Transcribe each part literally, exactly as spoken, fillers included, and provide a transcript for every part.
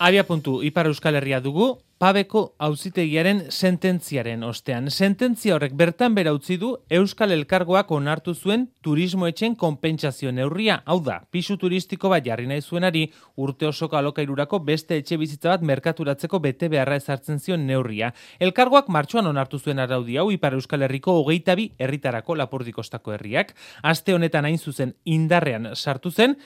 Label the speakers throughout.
Speaker 1: Abia puntu, Ipar Euskal Herria dugu, Pabeko auzitegiaren sententziaren ostean. Sententzia horrek bertan bera utzi du Euskal Elkargoak onartu zuen turismoetxen konpentsazio neurria. Hau da, pisu turistiko bat jarri nahi zuenari urte osoko alokairurako beste etxe bizitza bat merkaturatzeko bete beharra ezartzen zion neurria. Elkargoak martxoan onartu zuen araudi hau Ipar Euskal Herriko hogeita bi herritarako Lapurdikostako herriak. Aste honetan hain zuzen indarrean sartu zen,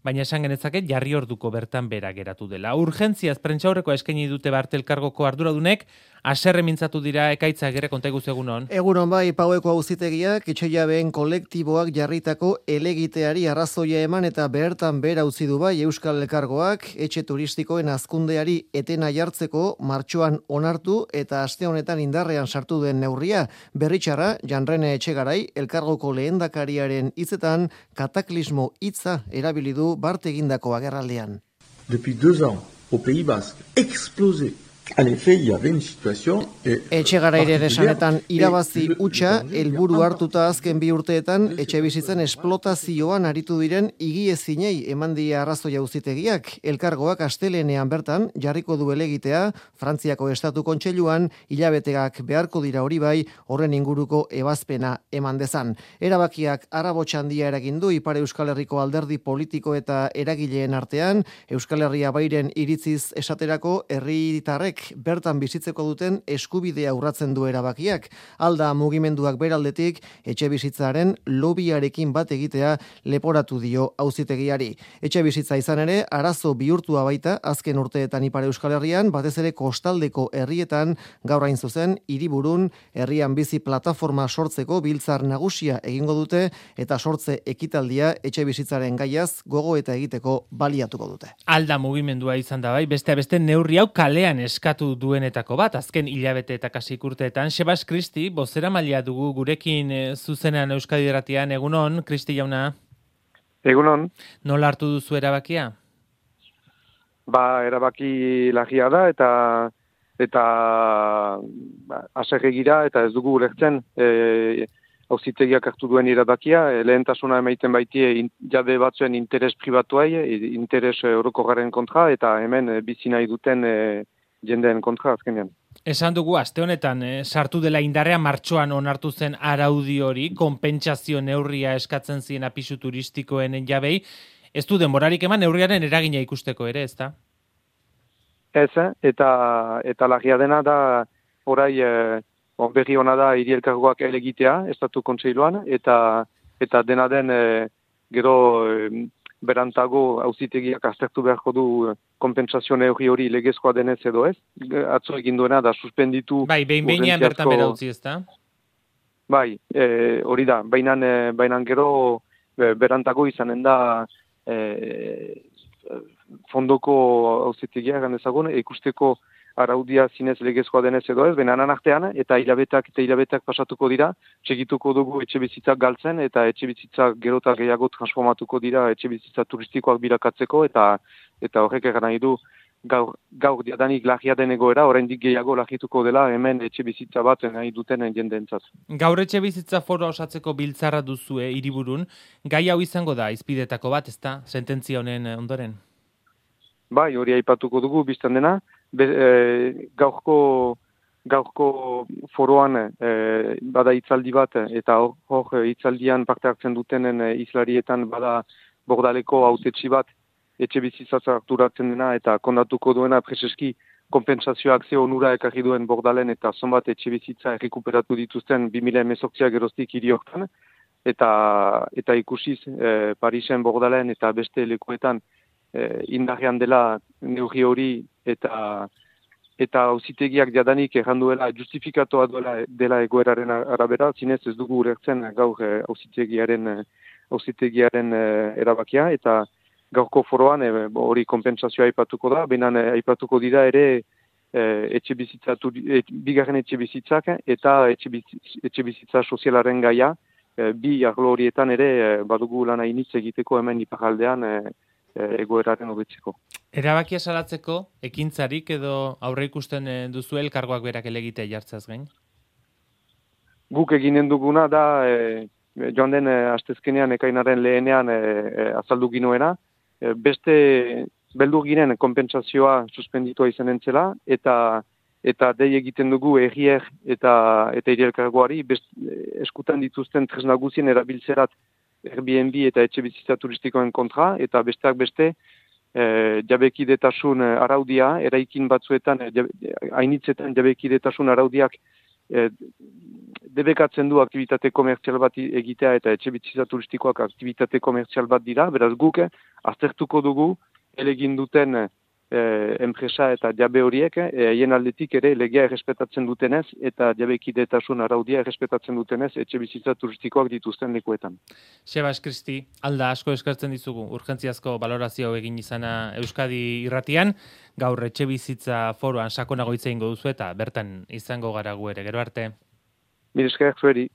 Speaker 1: baina esan genezake jarri orduko bertan bera geratu dela. Urgentziaz prentsaurrekoa eskaini dute Bart Elkargoko arduradunek, haserre mintzatu dira Ekaitza Agirre, konta iguzu egunon.
Speaker 2: Egunon bai, Paueko auzitegiak etxejabeen kolektiboak jarritako helegiteari arrazoia eman eta bertan bera utzi du bai Euskal Elkargoak etxe turistikoen hazkundeari etena jartzeko martxoan onartu eta aste honetan indarrean sartu den neurria. Berritxarra, Janrene Etxegarai, Elkargoko lehendakariaren hitzetan kataklismo hitza erabili du Bart egindako agerraldean.
Speaker 3: Depuis deux ans, au Pays Basque, explosé. En effet, il y avait une situation
Speaker 2: Etxegarairen esanetan irabazi hutsa helburu hartuta azken bi urteetan etxebizitzen esplotazioan aritu diren higiezinei eman die arrazoia auzitegiak. Elkargoak astelehenean bertan jarriko du helegitea Frantziako Estatu Kontseiluan hilabeteak beharko dira hori bai horren inguruko ebazpena eman dezan. Erabakiak arabotsa handia eragin du Ipar Euskal Herriko alderdi politiko eta eragileen artean. Euskal Herria bairen iritziz esaterako herritarrek bertan bizitzeko duten eskubidea urratzen du erabakiak. Alda mugimenduak beraldetik etxe bizitzaren lobiarekin bat egitea leporatu dio auzitegiari. Etxe bizitza izan ere arazo bihurtua baita azken urteetan Ipar Euskal Herrian, batez ere kostaldeko herrietan, gaur hain zuzen hiriburun herrian bizi plataforma sortzeko biltzar nagusia egingo dute eta sortze ekitaldia etxe bizitzaren gaiaz gogo eta egiteko baliatuko dute.
Speaker 1: Alda mugimendua izan da bai, beste beste neurri hau kalean eskatu duenetako bat, azken hilabete eta kasik urteetan. Sebas Kristi, bozera maila dugu gurekin e, zuzenean Euskadi Irratian. Egunon, Kristi jauna?
Speaker 4: Egunon.
Speaker 1: Nola hartu duzu erabakia?
Speaker 4: Ba, erabaki lagia da eta eta ba, asegegira eta ez dugu ulertzen e, auzitegiak hartu duen erabakia, e, lehentasuna emaiten baitie in, jade batzuen interes pribatuai, e, interes orokorraren kontra eta hemen e, bizi nahi duten e, jendeen kontra azkenean.
Speaker 1: Esan dugu aste honetan eh, sartu dela indarrean martxoan onartu zen araudi hori, konpentsazio neurria eskatzen zien pisu turistikoen jabei. Ez du denborarik eman neurriaren eragina ikusteko ere, ezta?
Speaker 4: Ez, eta eta lagia dena da orai eh, berri ona da hiri elkargoak elegitea Estatu Kontseiluan eta eta dena den eh, gero eh, berantago auzitegiak aztertu beharko du konpentsazio neurri hori legezkoa denez edo ez. Atzo egin duena da suspenditu...
Speaker 1: Bai, behin behinean bertan bera utzi ez da?
Speaker 4: Bai, e, hori da, bainan, e, bainan gero e, berantago izanen da e, fondoko auzitegia egan ezagun, ikusteko araudia zinez legezkoa denez edo ez, benanan artean, eta hilabetak eta hilabetak pasatuko dira, txegituko dugu etxe bizitzak galtzen, eta etxe bizitzak gero eta gehiago transformatuko dira etxe bizitza turistikoak bilakatzeko, eta eta horrek egan nahi du gaur, gaur diadanik lagia den egoera, oraindik gehiago lagituko dela hemen etxe bizitza bat nahi duten jendeentzat.
Speaker 1: Gaur etxe bizitza foroa osatzeko biltzarra duzue hiriburun, gai hau izango da izpidetako bat, ezta, sententzia honen ondoren?
Speaker 4: Bai, hori aipatuko dugu biztan dena, Be, e, gaurko, gaurko foroan e, bada hitzaldi bat eta hor, hor hitzaldian parte hartzen dutenen e, islarietan bada Bordaleko hautetsi bat etxe bizitzaz harturatzen dena eta kondatuko duena preseski konpentsazioak ze onura ekarri duen Bordalen eta zonbat etxe bizitza errekuperatu dituzten bi mila hemezortzi geroztik hiri hortan eta, eta ikusiz e, Parisen, Bordalen eta beste lekuetan e, indarrean dela neurri hori eta eta auzitegiak jadanik erranduela justifikatoa duela dela egoeraren arabera, zinez ez dugu ulertzen gaur auzitegiaren auzitegiaren erabakia eta gaurko foroan hori e, konpentsazioa aipatuko da, benan aipatuko dira ere e, etxe bizitza e, bigarren etxe bizitzak eta etxe bizitza, etxe bizitza sozialaren gaia e, bi arlo horietan ere e, badugu lan hainitz egiteko hemen iparraldean e, egoeraren hobetzeko.
Speaker 1: Erabakia salatzeko ekintzarik edo aurre ikusten duzu elkargoak berak elegitea jartzaz gain?
Speaker 4: Guk eginen duguna da e, joan den e, astezkenean ekainaren lehenean e, e, azaldu ginoena. E, beste beldur giren konpentsazioa suspenditua izanen zela, eta eta dei egiten dugu errier eta eta hiri elkargoari eskutan dituzten tresna guzien erabiltzerat Airbnb eta etxe bizitza turistikoen kontra, eta besteak beste e, jabekidetasun araudia, eraikin batzuetan, hainitzetan jabekidetasun araudiak e, debekatzen du aktivitate komertzial bat egitea eta etxe bizitza turistikoak aktivitate komertzial bat dira, beraz guk aztertuko dugu elegin duten Eh, enpresa eta jabe horiek haien eh, aldetik ere legea errespetatzen dutenez eta jabekidetasun araudia errespetatzen dutenez etxe bizitza turistikoak dituzten lekuetan.
Speaker 1: Sebas Kristi, alda asko eskertzen dizugu urgentziazko balorazio egin izana Euskadi irratian, gaur etxe bizitza foroan sakonago hitz egingo duzu eta bertan izango gara gu ere, gero arte.
Speaker 4: Mil esker zueri.